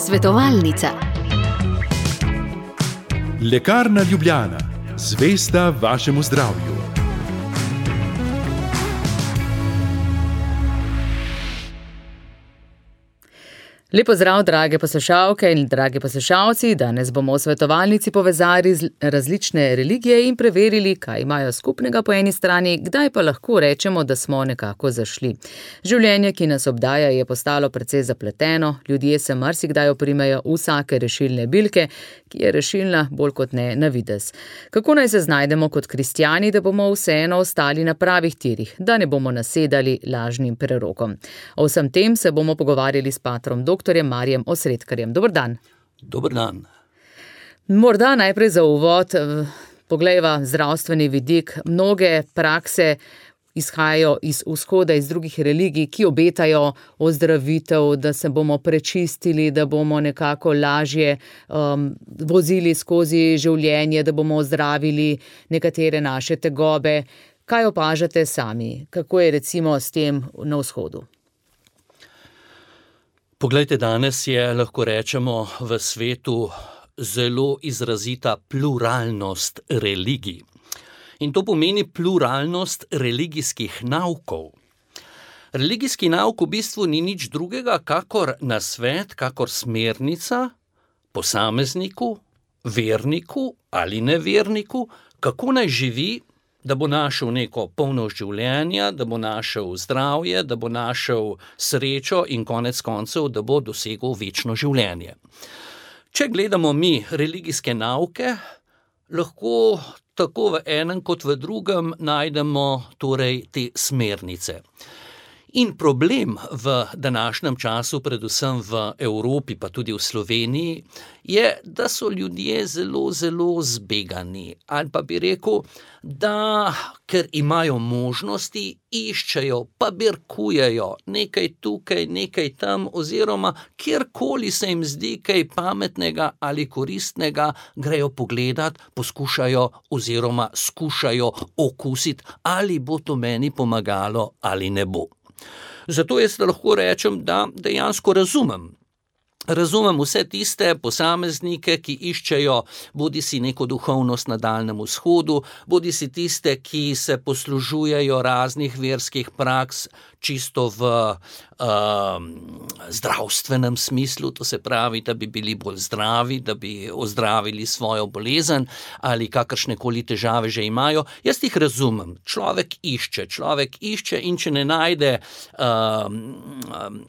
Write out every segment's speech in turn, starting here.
Svetovalnica. Lekarna Ljubljana, zvesta vašemu zdravju. Lep pozdrav, drage poslušalke in dragi poslušalci. Danes bomo v svetovalnici povezali različne religije in preverili, kaj imajo skupnega po eni strani, kdaj pa lahko rečemo, da smo nekako zašli. Življenje, ki nas obdaja, je postalo precej zapleteno, ljudje se marsikdaj oprimejo vsake rešilne bilke, ki je rešilna bolj kot ne na videz. Kako naj se znajdemo kot kristjani, da bomo vseeno ostali na pravih tirih, da ne bomo nasedali lažnim prerokom? O vsem tem se bomo pogovarjali s patrom doktorjem Marijem Osredkarjem. Dober dan. Dober dan. Morda najprej za uvod poglejva zdravstveni vidik. Mnoge prakse izhajajo iz vzhoda, iz drugih religij, ki obetajo ozdravitev, da se bomo prečistili, da bomo nekako lažje vozili skozi življenje, da bomo ozdravili nekatere naše tegobe. Kaj opažate sami? Kako je recimo s tem na vzhodu? Poglejte, danes je, lahko rečemo, v svetu zelo izrazita pluralnost religij. In to pomeni pluralnost religijskih naukov. Religijski nauk v bistvu ni nič drugega, kakor nasvet, kakor smernica posamezniku, verniku ali neverniku, kako naj živi, da bo našel neko polnost življenja, da bo našel zdravje, da bo našel srečo in konec koncev, da bo dosegel večno življenje. Če gledamo mi religijske nauke, lahko tako v enem kot v drugem najdemo torej te smernice. In problem v današnjem času, predvsem v Evropi, pa tudi v Sloveniji, je, da so ljudje zelo zbegani. Ali pa bi rekel, da ker imajo možnosti, iščejo, pa birkujejo nekaj tukaj, nekaj tam, oziroma kjerkoli se jim zdi kaj pametnega ali koristnega, grejo pogledat, poskušajo oziroma skušajo okusiti, ali bo to meni pomagalo ali ne bo. Zato jaz lahko rečem, da dejansko razumem vse tiste posameznike, ki iščejo bodisi neko duhovnost na Daljnem vzhodu, bodisi tiste, ki se poslužujejo raznih verskih praks čisto v zdravstvenem smislu, to se pravi, da bi bili bolj zdravi, da bi ozdravili svojo bolezen ali kakršnekoli težave že imajo. Jaz jih razumem. Človek išče in če ne najde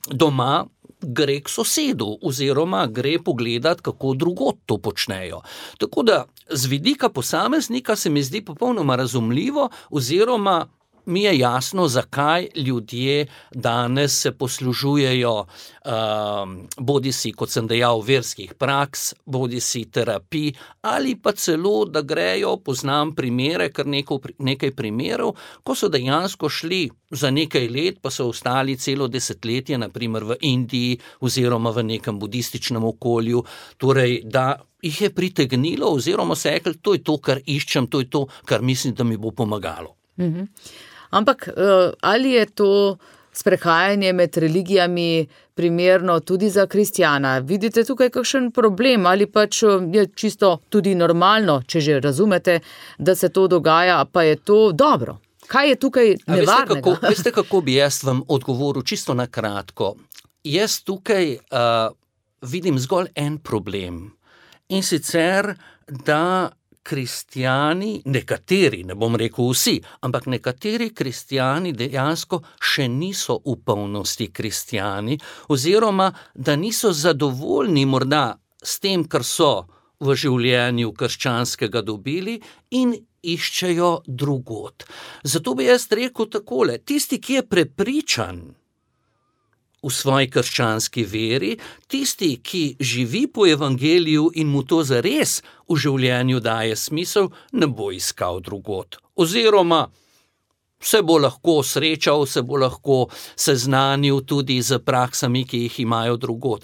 doma, gre k sosedu oziroma gre pogledat, kako drugod to počnejo. Tako da z vidika posameznika se mi zdi popolnoma razumljivo oziroma mi je jasno, zakaj ljudje danes se poslužujejo bodisi, kot sem dejal, verskih praks, bodisi terapij ali pa celo, da grejo, poznam primere, kar nekaj primerov, ko so dejansko šli za nekaj let, pa so ostali celo desetletje, na primer v Indiji oziroma v nekem budističnem okolju, torej da jih je pritegnilo oziroma se rekli, to je to, kar iščem, to je to, kar mislim, da mi bo pomagalo. Ampak ali je to sprehajanje med religijami primerno tudi za kristjana? Vidite tukaj kakšen problem ali pač je čisto tudi normalno, če že razumete, da se to dogaja, pa je to dobro? Kaj je tukaj nevarnega? Veste, kako bi jaz vam odgovoril čisto na kratko? Jaz tukaj vidim zgolj en problem. In sicer, da kristjani, nekateri, ne bom rekel vsi, ampak nekateri kristjani dejansko še niso v polnosti kristjani, oziroma da niso zadovoljni morda s tem, kar so v življenju krščanskega dobili in iščejo drugod. Zato bi jaz rekel takole, tisti, ki je prepričan v svoji krščanski veri, tisti, ki živi po evangeliju in mu to zares v življenju daje smisel, ne bo iskal drugod. Oziroma se bo lahko srečal, se bo lahko seznanil tudi z praksami, ki jih imajo drugod.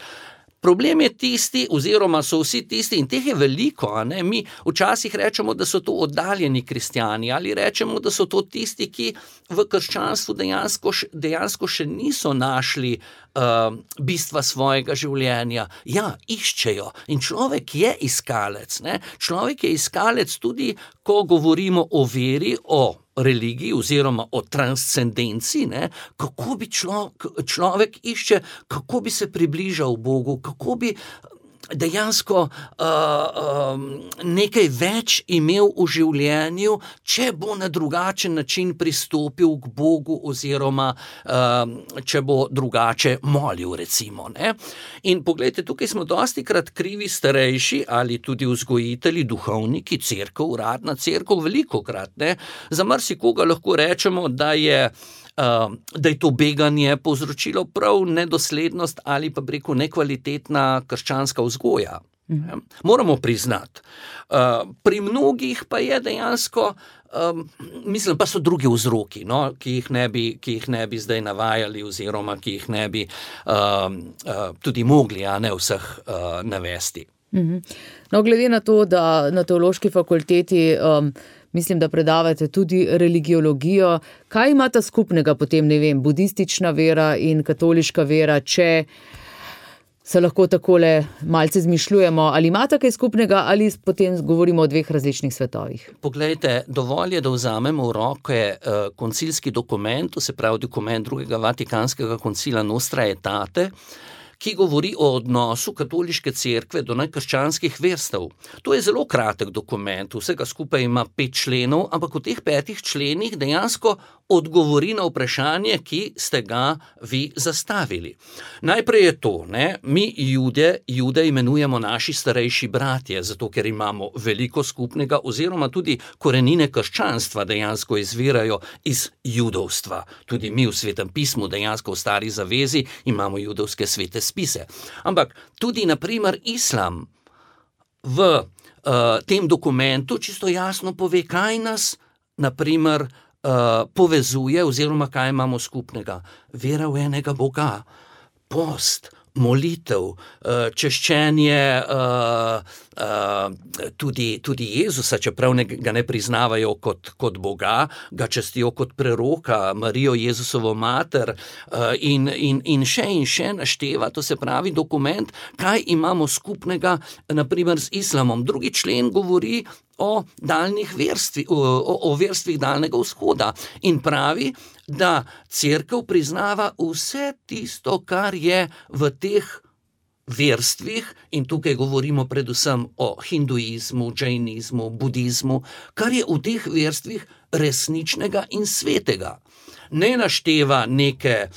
Problem je tisti, oziroma so vsi tisti, in teh je veliko, a ne, mi včasih rečemo, da so to oddaljeni kristjani, ali rečemo, da so to tisti, ki v krščanstvu dejansko še niso našli bistva svojega življenja. Ja, iščejo. In človek je iskalec, ne. Človek je iskalec tudi, ko govorimo o veri, o religiji oziroma o transcendenci, ne, kako bi človek išče, kako bi se približal Bogu, kako bi dejansko nekaj več imel v življenju, če bo na drugačen način pristopil k Bogu oziroma če bo drugače molil, recimo, ne. In poglejte, tukaj smo dostikrat krivi starejši ali tudi vzgojitelji, duhovniki, cerkev, uradna cerkev, velikokrat, ne. Za marsikoga lahko rečemo, da je to beganje povzročilo prav nedoslednost ali pa preko nekvalitetna krščanska vzgoja. Moramo priznati. Pri mnogih pa je dejansko, mislim, pa so drugi vzroki, no, ki jih ne bi zdaj navajali oziroma ki jih ne bi tudi mogli, a ne vseh navesti. No, glede na to, da na teološki fakulteti mislim, da predavate tudi religiologijo. Kaj imata skupnega potem, ne vem, budistična vera in katoliška vera, če se lahko takole malce zmišljujemo? Ali imata kaj skupnega ali potem govorimo o dveh različnih svetovih? Poglejte, dovolj je, da vzamemo v roke koncilski dokument, to se pravi dokument drugega Vatikanskega koncila Nostra Aetate, ki govori o odnosu katoliške cerkve do nekrščanskih verstev. To je zelo kratek dokument, vsega skupaj ima 5 členov, ampak v teh 5 členih dejansko odgovori na vprašanje, ki ste ga vi zastavili. Najprej je to, ne, mi Jude imenujemo naši starejši bratje, zato ker imamo veliko skupnega, oziroma tudi korenine krščanstva dejansko izvirajo iz judovstva. Tudi mi v Svetem pismu dejansko v Stari zavezi imamo judovske svete spise. Ampak tudi, na primer, islam v tem dokumentu čisto jasno pove, kaj nas, na primer, povezuje oziroma kaj imamo skupnega. Vera v enega Boga, post, molitev, češčenje tudi Jezusa, čeprav ga ne priznavajo kot Boga, ga častijo kot preroka, Marijo Jezusovo mater in še našteva, to se pravi dokument, kaj imamo skupnega, na primer, z islamom. Drugi člen govori o daljnih verstvih, o verstvih Daljnega vzhoda in pravi, da cerkev priznava vse tisto, kar je v teh verstvih, in tukaj govorimo predvsem o hinduizmu, džainizmu, budizmu, kar je v teh verstvih resničnega in svetega. Ne našteva neke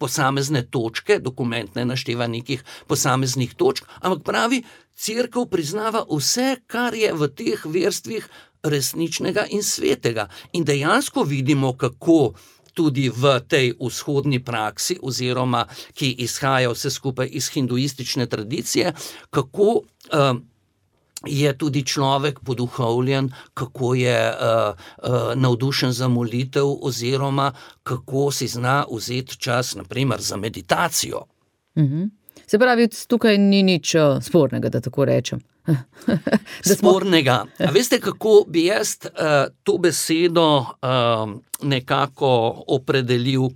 posamezne točke, dokument ne našteva nekih posameznih točk, ampak pravi, cerkev priznava vse, kar je v teh verstvih resničnega in svetega. In dejansko vidimo, kako tudi v tej vzhodni praksi, oziroma ki izhaja vse skupaj iz hinduistične tradicije, kako je tudi človek poduhovljen, kako je navdušen za molitev, oziroma kako si zna vzeti čas, na primer, za meditacijo. Se pravi, tukaj ni nič spornega, da tako rečem. Spornega. A veste, kako bi jaz to besedo nekako opredelil,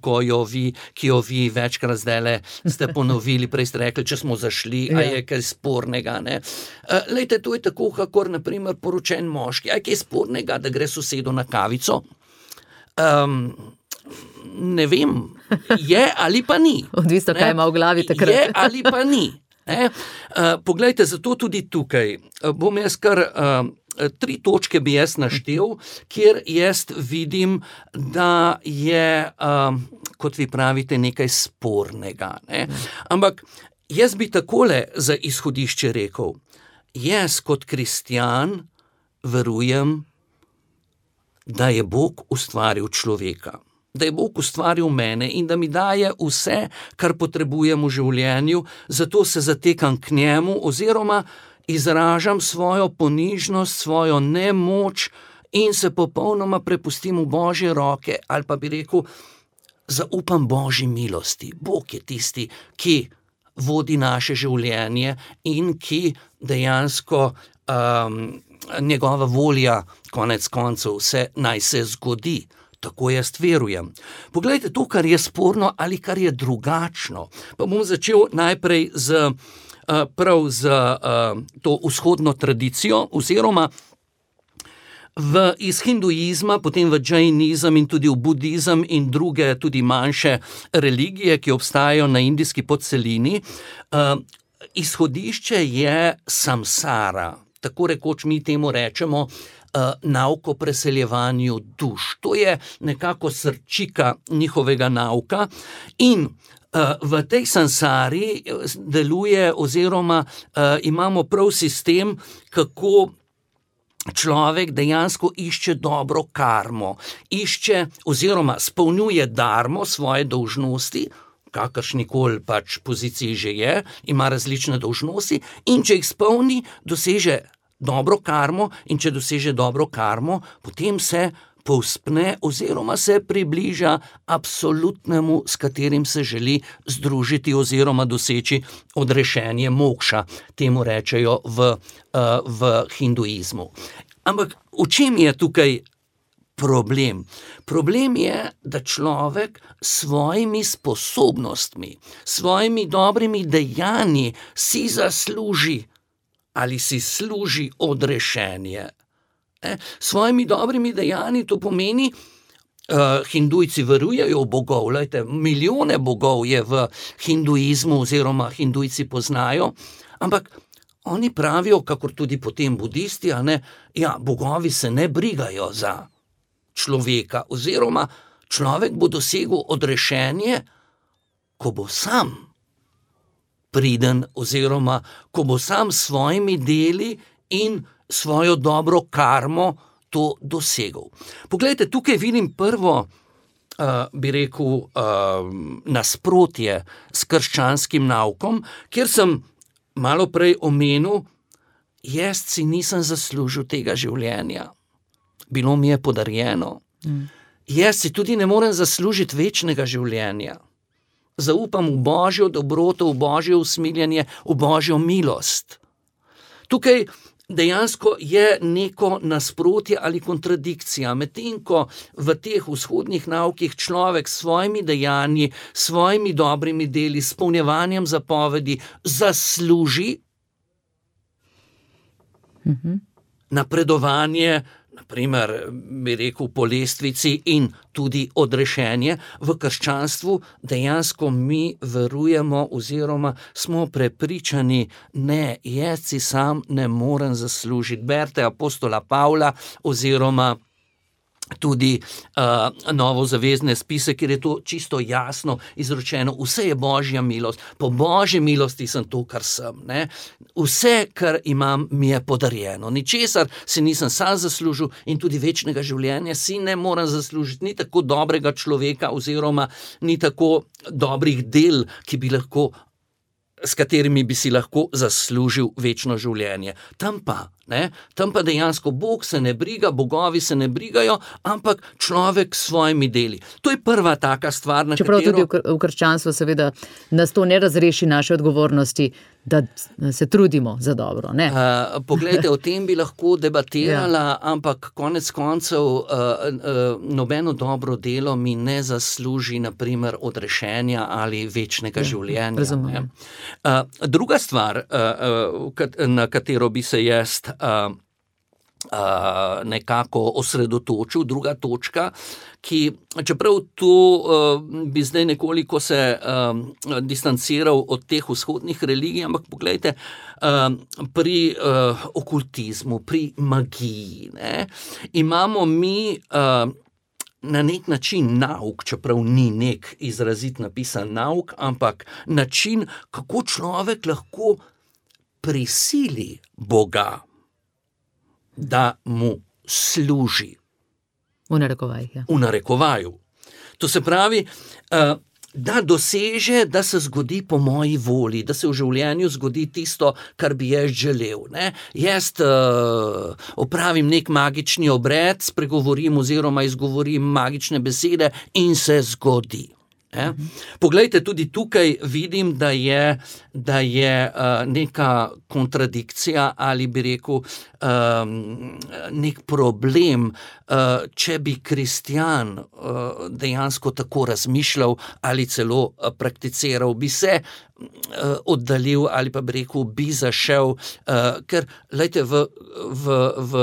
ki jo vi večkrat zdajle ste ponovili, prej ste rekli, če smo zašli, a je kaj spornega, ne? Lejte, to je tako, kakor, na primer, poročen moški. A je kaj spornega, da gre sosedu na kavico? Ne vem, je ali pa ni. Odvisno, kaj ima v glavi takrat. Je ali pa ni. Poglejte, zato tudi tukaj bom jaz kar 3 točke bi jaz naštel, kjer jaz vidim, da je, kot vi pravite, nekaj spornega, ne? Ampak jaz bi takole za izhodišče rekel, jaz kot kristjan verujem, da je Bog ustvaril človeka, da je Bog ustvaril mene in da mi daje vse, kar potrebujem v življenju, zato se zatekam k njemu oziroma izražam svojo ponižnost, svojo nemoč in se popolnoma prepustim v Božje roke, ali pa bi rekel, zaupam Božji milosti. Bog je tisti, ki vodi naše življenje in ki dejansko njegova volja, konec koncev, naj se zgodi. Tako jaz verujem. Poglejte to, kar je sporno ali kar je drugačno. Pa bom začel najprej prav z to vzhodno tradicijo, oziroma iz hinduizma, potem v džainizem in tudi v budizem in druge tudi manjše religije, ki obstajajo na indijski podcelini. Izhodišče je samsara, tako rekoč mi temu rečemo nauk o preseljevanju duš. To je nekako srčika njihovega nauka in v tej samsari deluje oziroma imamo prav sistem, kako človek dejansko išče dobro karmo, išče oziroma spolnjuje dharmo, svoje dolžnosti, kakršnikoli pač poziciji že je, ima različne dolžnosti in če jih spolni, doseže dobro karmo in če doseže dobro karmo, potem se povzpne oziroma se približa absolutnemu, s katerim se želi združiti oziroma doseči odrešenje mokša, temu rečejo v hinduizmu. Ampak v čem je tukaj problem? Problem je, da človek s svojimi sposobnostmi, svojimi dobrimi dejanji si zasluži ali si služi odrešenje. S svojimi dobrimi dejanji to pomeni, hindujci verujejo v bogov, lejte, milijone bogov je v hinduizmu oziroma hindujci poznajo, ampak oni pravijo, kakor tudi potem budisti, bogovi se ne brigajo za človeka oziroma človek bo dosegel odrešenje, ko bo sam priden oziroma ko bo sam s svojimi deli in svojo dobro karmo to dosegel. Poglejte, tukaj vidim prvo, bi rekel, nasprotje s krščanskim naukom, kjer sem malo prej omenil, jaz si nisem zaslužil tega življenja. Bilo mi je podarjeno. Jaz si tudi ne morem zaslužiti večnega življenja. Zaupam v Božjo dobroto, v Božje usmiljenje, v Božjo milost. Tukaj dejansko je neko nasprotje ali kontradikcija, medtem ko v teh vzhodnih naukih človek s svojimi dejanji, s svojimi dobrimi deli, s izpolnjevanjem zapovedi zasluži napredovanje, naprimer, bi rekel, po lestvici in tudi odrešenje. V krščanstvu dejansko mi verujemo oziroma smo prepričani, ne, jaz si sam ne morem zaslužiti. Berite apostola Pavla oziroma tudi novozavezne spise, kjer je to čisto jasno izročeno. Vse je Božja milost. Po Božji milosti sem to, kar sem. Ne? Vse, kar imam, mi je podarjeno. Ničesar si nisem sam zaslužil in tudi večnega življenja si ne morem zaslužiti. Ni tako dobrega človeka oziroma ni tako dobrih del, s katerimi bi si lahko zaslužil večno življenje. Tam pa dejansko Bog se ne briga, bogovi se ne brigajo, ampak človek s svojimi deli. To je prva taka stvar, na čeprav katero... Čeprav tudi v krščanstvu seveda nas to ne razreši naše odgovornosti, da se trudimo za dobro. Ne? Poglejte, o tem bi lahko debatirala, ampak konec koncev nobeno dobro delo mi ne zasluži, naprimer, odrešenja ali večnega življenja. Razumem. Druga stvar, na katero bi se jaz nekako osredotočil, druga točka, ki, čeprav tu bi zdaj nekoliko se distanciral od teh vzhodnih religij, ampak poglejte, pri okultizmu, pri magiji, imamo mi na nek način nauk, čeprav ni nek izrazit napisan nauk, ampak način, kako človek lahko prisili Boga, da mu služi. V narekovajih, ja. V narekovaju. To se pravi, da doseže, da se zgodi po moji volji, da se v življenju zgodi tisto, kar bi jaz želel. Jaz opravim nek magični obred, spregovorim oziroma izgovorim magične besede in se zgodi. Poglejte, tudi tukaj vidim, da je neka kontradikcija ali bi rekel nek problem, če bi kristjan dejansko tako razmišljal ali celo prakticiral, bi se oddaljil ali pa bi rekel, bi zašel, ker lejte, v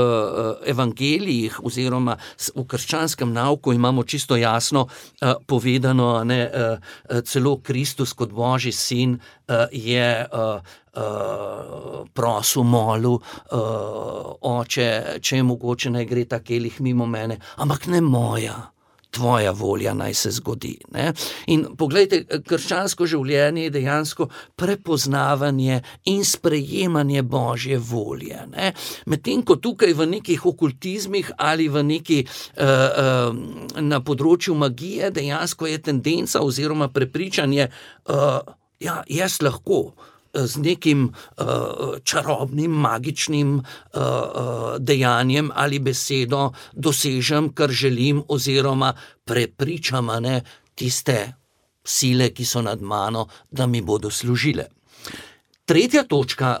evangelijih oziroma v krščanskem nauku imamo čisto jasno povedano, celo Kristus kot Božji sin je prosil, molil, Oče, če je mogoče, naj gre ta kelih mimo mene, ampak ne moja, tvoja volja naj se zgodi. In poglejte, krščansko življenje je dejansko prepoznavanje in sprejemanje Božje volje. Medtem ko tukaj v nekih okultizmih ali v neki na področju magije dejansko je tendenca oziroma prepričanje, jaz lahko z nekim čarobnim, magičnim dejanjem ali besedo dosežem, kar želim, oziroma prepričam tiste sile, ki so nad mano, da mi bodo služile. Tretja točka,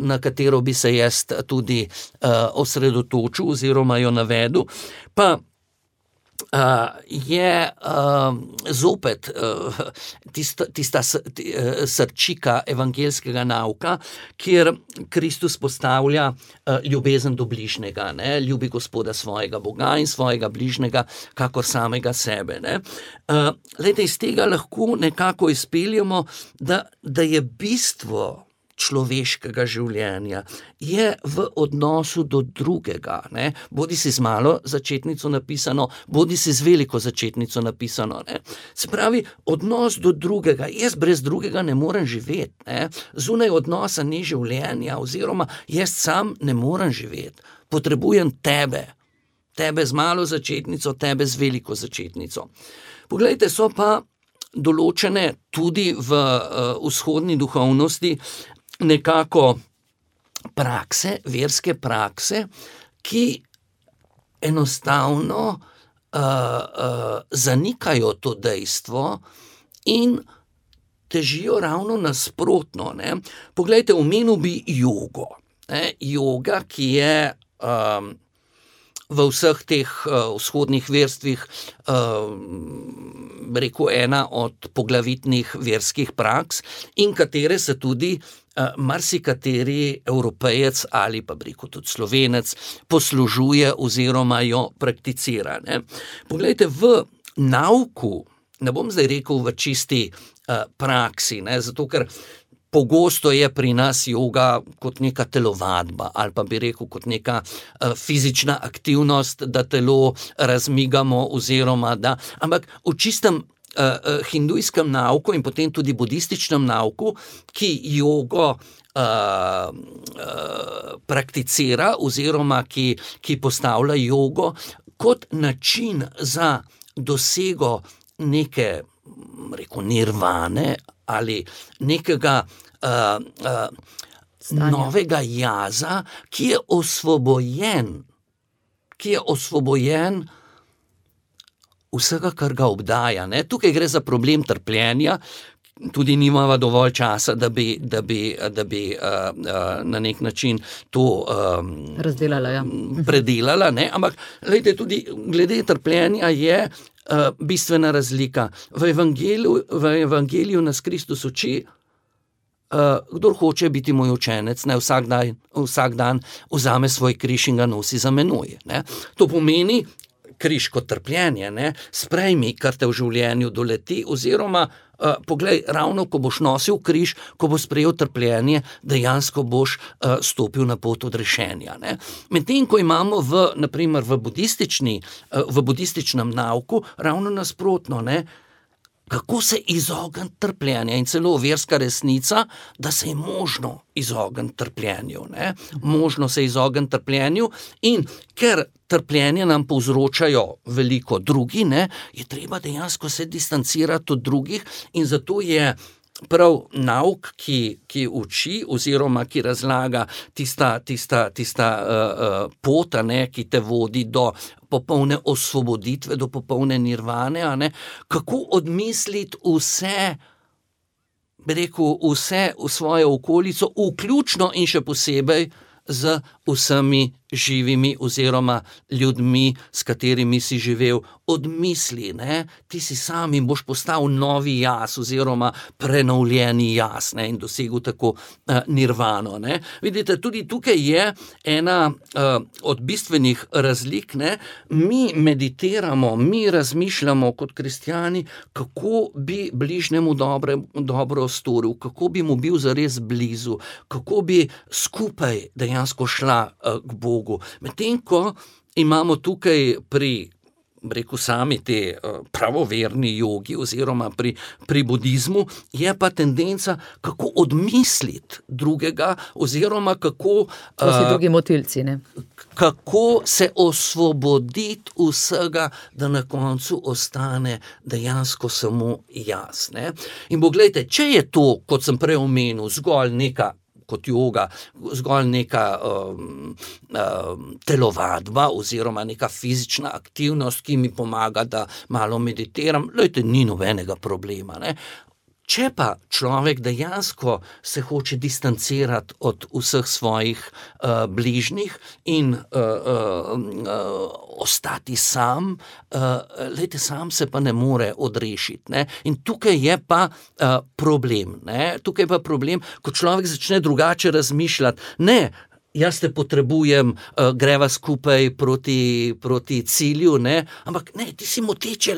na katero bi se jaz tudi osredotočil oziroma jo navedel, pa je zopet tista srčika evangeljskega nauka, kjer Kristus postavlja ljubezen do bližnjega, ljubi Gospoda svojega Boga in svojega bližnjega kakor samega sebe. Glejte, iz tega lahko nekako izpeljemo, da je bistvo človeškega življenja je v odnosu do drugega, bodi si z malo začetnico napisano, bodi si z veliko začetnico napisano. Se pravi, odnos do drugega, jaz brez drugega ne morem živeti, zunaj odnosa ni življenja, oziroma jaz sam ne morem živeti, potrebujem tebe z malo začetnico, tebe z veliko začetnico. Poglejte, so pa določene tudi v vzhodni duhovnosti nekako prakse, verske prakse, ki enostavno zanikajo to dejstvo in težijo ravno nasprotno. Poglejte, omenil bi jogo. Joga, ki je v vseh teh vzhodnih verstvih rekel ena od poglavitnih verskih praks in katere se tudi marsikateri Evropejec ali pa rekel tudi Slovenec poslužuje oziroma jo prakticira. Poglejte, v nauku, ne bom zdaj rekel v čisti praksi, zato ker pogosto je pri nas joga kot neka telovadba ali pa bi rekel kot neka fizična aktivnost, da telo razmigamo oziroma da, ampak v čistem hindujskem nauku in potem tudi budističnem nauku, ki jogo prakticira oziroma ki postavlja jogo kot način za dosego neke, rekel, nirvane ali nekega novega jaza, ki je osvobojen vsega, kar ga obdaja. Tukaj gre za problem trpljenja, tudi nimava dovolj časa, da bi na nek način to razdelala, predelala, ampak glede, tudi glede trpljenja je bistvena razlika. V evangeliju nas Kristus uči, kdor hoče biti moj učenec, naj vsak dan vzame svoj križ in ga nosi za menoj. To pomeni križ kot trpljenje, sprejmi, kar te v življenju doleti, oziroma poglej, ravno ko boš nosil križ, ko boš sprejel trpljenje, dejansko boš stopil na pot odrešenja. Medtem ko imamo naprimer v budističnem nauku ravno nasprotno, kako se izogniti trpljenja in celo verska resnica, da se je možno izogniti trpljenju. Možno se izogniti trpljenju in ker trpljenje nam povzročajo veliko drugi, je treba dejansko se distancirati od drugih in zato je prav nauk, ki uči oziroma ki razlaga tista pot, ki te vodi do popolne osvoboditve, do popolne nirvane, kako odmisliti vse, bi rekel, vse v svojo okolico, vključno in še posebej z vsemi živimi oziroma ljudmi, s katerimi si živel. Odmisli, ti si sam in boš postal novi jaz oziroma prenovljeni jaz, in dosegel tako nirvano. Vidite, tudi tukaj je ena od bistvenih razlik. Mi meditiramo, mi razmišljamo kot kristjani, kako bi bližnjemu dobro storil, kako bi mu bil zares blizu, kako bi skupaj dejansko šla k Bogu. Medtem ko imamo tukaj rekel sami te pravoverni jogi oziroma pri budizmu, je pa tendenca, kako odmisliti drugega oziroma kako drugi motilci, kako se osvoboditi vsega, da na koncu ostane dejansko samo jaz. In poglejte, če je to, kot sem prej omenil, zgolj neka kot joga, zgolj neka telovadba oziroma neka fizična aktivnost, ki mi pomaga, da malo meditiram, ni nobenega problema. Če pa človek dejansko se hoče distancirati od vseh svojih bližnjih in ostati sam, sam se pa ne more odrešiti. In tukaj je pa problem. Tukaj je pa problem, ko človek začne drugače razmišljati. Jaz te potrebujem, greva skupaj proti cilju, ampak ti si moteč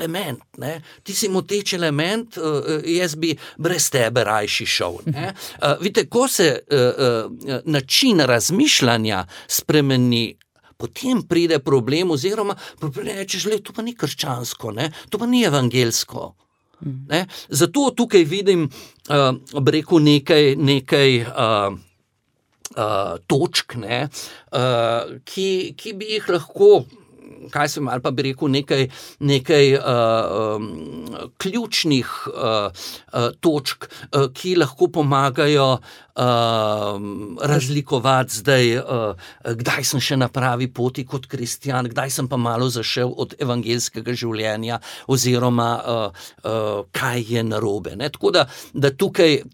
element, jaz bi brez tebe rajši šel. Vidite, ko se način razmišljanja spremeni, potem pride problem oziroma rečeš, to pa ni krščansko, to pa ni evangelsko. Zato tukaj vidim, rekel nekaj točk, ki bi jih lahko, ali pa bi rekel nekaj ključnih točk, ki lahko pomagajo razlikovati zdaj, kdaj sem še na pravi poti kot kristjan, kdaj sem pa malo zašel od evangelskega življenja oziroma kaj je narobe. Tako da tukaj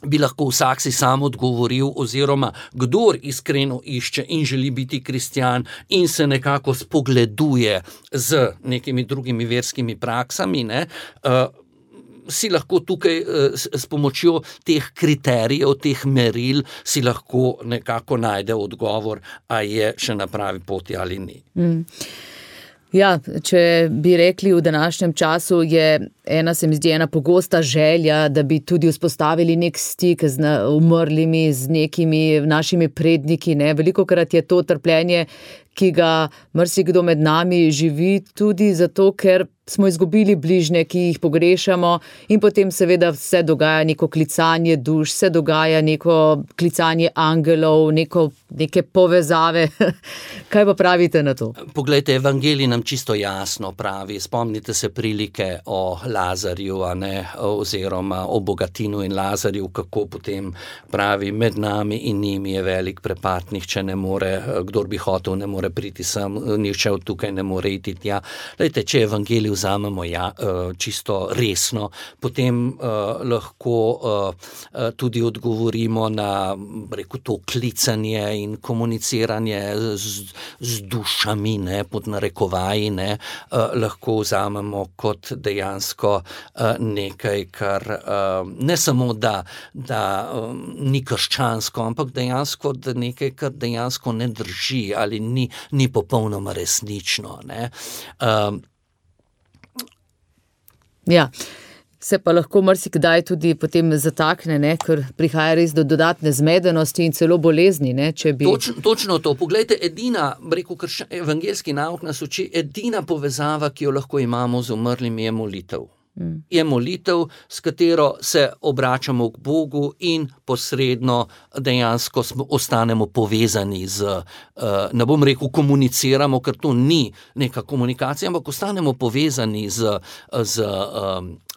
bi lahko vsak si sam odgovoril, oziroma kdor iskreno išče in želi biti kristjan in se nekako spogleduje z nekimi drugimi verskimi praksami, si lahko tukaj s pomočjo teh kriterijev, teh meril, si lahko nekako najde odgovor, a je še na pravi poti ali ni. Ja, če bi rekli v današnjem času, se mi zdi ena pogosta želja, da bi tudi vzpostavili nek stik z umrlimi, z nekimi našimi predniki. Velikokrat je to trpljenje, ki ga marsikdo med nami živi, tudi zato, ker smo izgubili bližnje, ki jih pogrešamo, in potem seveda se dogaja neko klicanje duš, se dogaja neko klicanje angelov, neke povezave. Kaj pa pravite na to? Poglejte, evangelij nam čisto jasno pravi, spomnite se prilike o Lazarju, oziroma o Bogatinu in Lazarju, kako potem pravi, med nami in njimi je velik prepad, nihče ne more, kdor bi hotel, ne more priti sem, nihče od tukaj ne more iti tja. Lejte, če evangelij vzamemo čisto resno, potem lahko tudi odgovorimo na, rekel, to klicanje in komuniciranje z dušami, pod narekovaji, lahko vzamemo kot dejansko nekaj, kar ne samo, da ni krščansko, ampak dejansko nekaj, kar dejansko ne drži ali ni popolnoma resnično. Ja, se pa lahko marsikdaj tudi potem zatakne, ker prihaja res do dodatne zmedenosti in celo bolezni, če bi... Točno to. Poglejte, edina, rekel evangelski nauk nas uči, edina povezava, ki jo lahko imamo z umrlimi, je molitev. je molitev, s katero se obračamo k Bogu in posredno dejansko ostanemo povezani z, ne bom rekel komuniciramo, ker to ni neka komunikacija, ampak ostanemo povezani z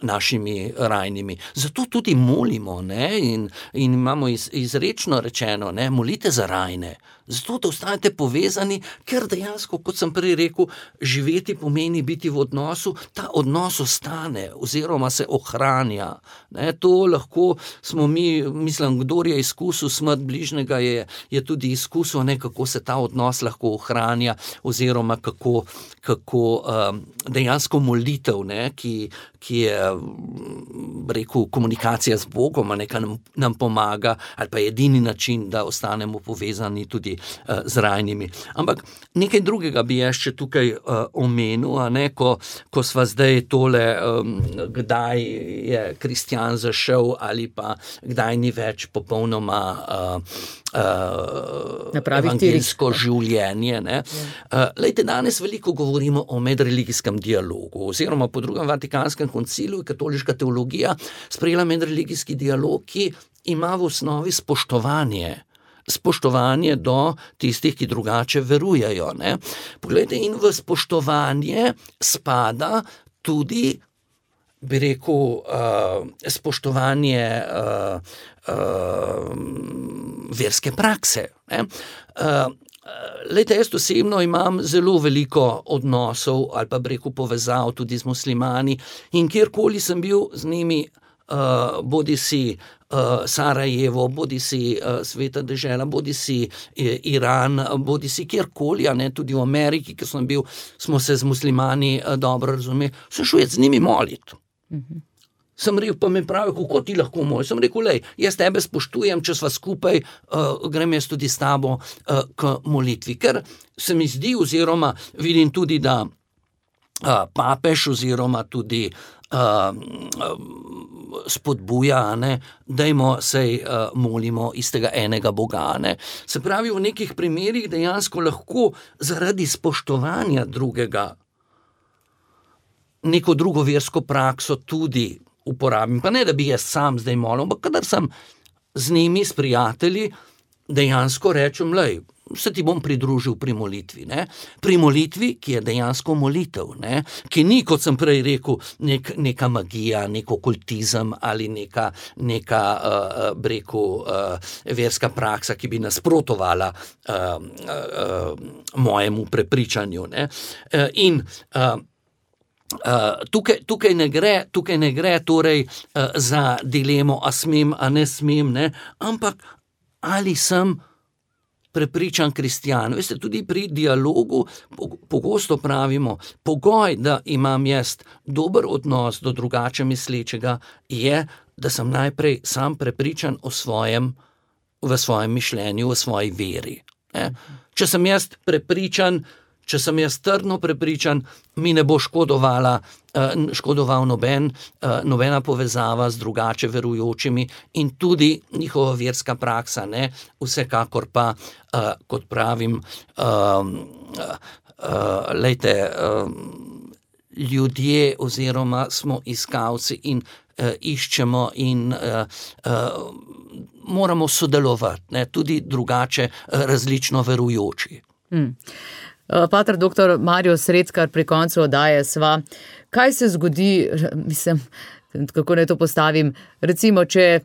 našimi rajnimi. Zato tudi molimo, ne? In imamo izrečno rečeno, ne? Molite za rajne. Zato, da ostanete povezani, ker dejansko, kot sem prej rekel, živeti pomeni biti v odnosu, ta odnos ostane oziroma se ohranja. Ne? To lahko smo mi, mislim, kdor je izkusil smrt bližnjega, je tudi izkusil, ne, kako se ta odnos lahko ohranja oziroma kako dejansko molitev, ne, ki je, rekel, komunikacija z Bogom, nekaj nam pomaga, ali pa edini način, da ostanemo povezani tudi z rajnimi. Ampak nekaj drugega bi jaz še tukaj omenil, ne, ko sva zdaj tole, kdaj je kristjan zašel ali pa kdaj ni več popolnoma evangeljsko življenje. Ne. Lejte, danes veliko govorimo o medreligijskem dialogu, oziroma po drugem Vatikanskem koncilu je katoliška teologija sprejela medreligijski dialog, ki ima v osnovi spoštovanje do tistih, ki drugače verujejo. Ne. Poglejte, in v spoštovanje spada tudi, bi rekel, spoštovanje verske prakse. Ne. Lejte, jaz osebno imam zelo veliko odnosov ali pa bi rekel povezav tudi z muslimani in kjerkoli sem bil z njimi, bodisi Sarajevo, bodisi Sveta dežela, bodisi Iran, bodisi kjerkoli, ne, tudi v Ameriki, ker sem bil, smo se z muslimani dobro razumeli, sem šel z njimi moliti. Sem rekel, pa me pravi, kako ti lahko moliš? Sem rekel, lej, jaz tebe spoštujem, če sva skupaj, grem jaz tudi s tabo k molitvi. Ker se mi zdi, oziroma vidim tudi, da papež oziroma tudi spodbuja, ne, dajmo sej molimo istega enega Boga. Ne. Se pravi, v nekih primerih dejansko lahko zaradi spoštovanja drugega neko drugo versko prakso tudi uporabim. Pa ne, da bi jaz sam zdaj molil, ampak kadar sem z njimi, s prijatelji, dejansko rečem, lej, se ti bom pridružil pri molitvi. Ne? Pri molitvi, ki je dejansko molitev, ne? Ki ni, kot sem prej rekel, neka magija, nek okultizem ali neka verska praksa, ki bi nasprotovala mojemu prepričanju. Ne? In tukaj ne gre torej za dilemo, a smem, a ne smem, ne? Ampak ali sem prepričan kristjan. Veste, tudi pri dialogu pogosto pravimo, pogoj, da imam jaz dober odnos do drugače mislečega, je, da sem najprej sam prepričan v svojem mišljenju, v svoji veri. Ne? Če sem jaz prepričan, če sem jaz trdno prepričan, mi ne bo škodoval nobena povezava z drugače verujočimi in tudi njihova verska praksa, ne, vsekakor pa, kot pravim, lejte, ljudje oziroma smo iskalci in iščemo in moramo sodelovati, ne, tudi drugače različno verujoči. Pater doktor Mario Sredskar, pri koncu oddaje sva. Kaj se zgodi, mislim, kako naj to postavim, recimo, če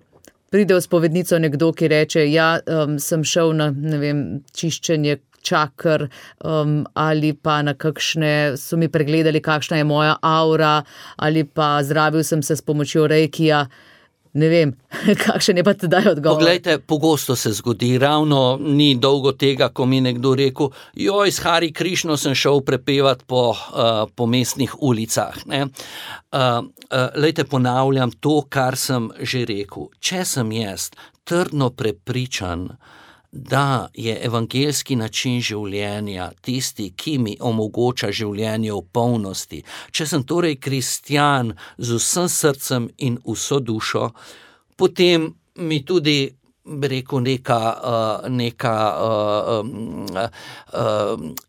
pride v spovednico nekdo, ki reče, ja, sem šel na, ne vem, čiščenje čaker, ali pa na kakšne, so mi pregledali, kakšna je moja aura, ali pa zdravil sem se s pomočjo reikija. Ne vem, kakšen je pa tedaj odgovor. Poglejte, pogosto se zgodi, ravno ni dolgo tega, ko mi nekdo rekel, joj, s Hari Krišno sem šel prepevati po mestnih ulicah. Ne? Lejte, ponavljam to, kar sem že rekel. Če sem jaz trdno prepričan, da je evangeljski način življenja tisti, ki mi omogoča življenje v polnosti. Če sem torej kristjan z vsem srcem in vso dušo, potem mi tudi bi rekel, neka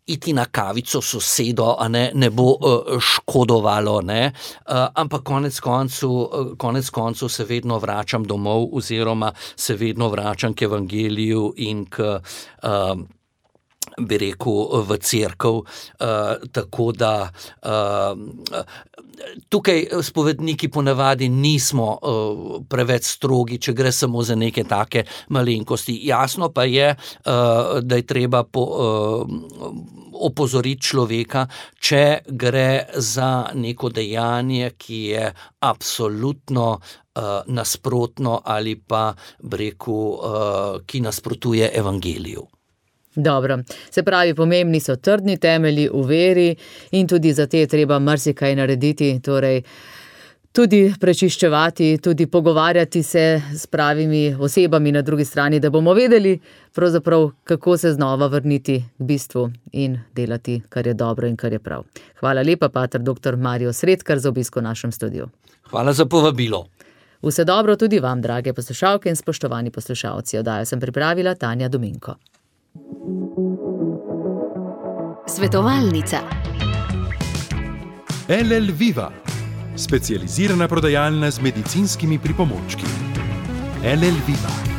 iti na kavico sosedo, a ne bo škodovalo, ne, ampak konec koncev se vedno vračam domov oziroma se vedno vračam k evangeliju in k bi rekel, v cerkev, tako da tukaj spovedniki ponavadi nismo preveč strogi, če gre samo za neke take malenkosti. Jasno pa je, da je treba opozoriti človeka, če gre za neko dejanje, ki je absolutno nasprotno ali pa, bi rekel, ki nasprotuje evangeliju. Dobro, se pravi, pomembni so trdni temelji v veri in tudi za te je treba marsikaj narediti, torej tudi prečiščevati, tudi pogovarjati se s pravimi osebami na drugi strani, da bomo vedeli pravzaprav, kako se znova vrniti k bistvu in delati, kar je dobro in kar je prav. Hvala lepa, pater dr. Mario Sredkar, za obisk v našem studiu. Hvala za povabilo. Vse dobro tudi vam, drage poslušalke in spoštovani poslušalci. Oddajo sem pripravila Tanja Dominko. Svetovalnica. LL Viva, specializirana prodajalna z medicinskimi pripomočki. LL Viva.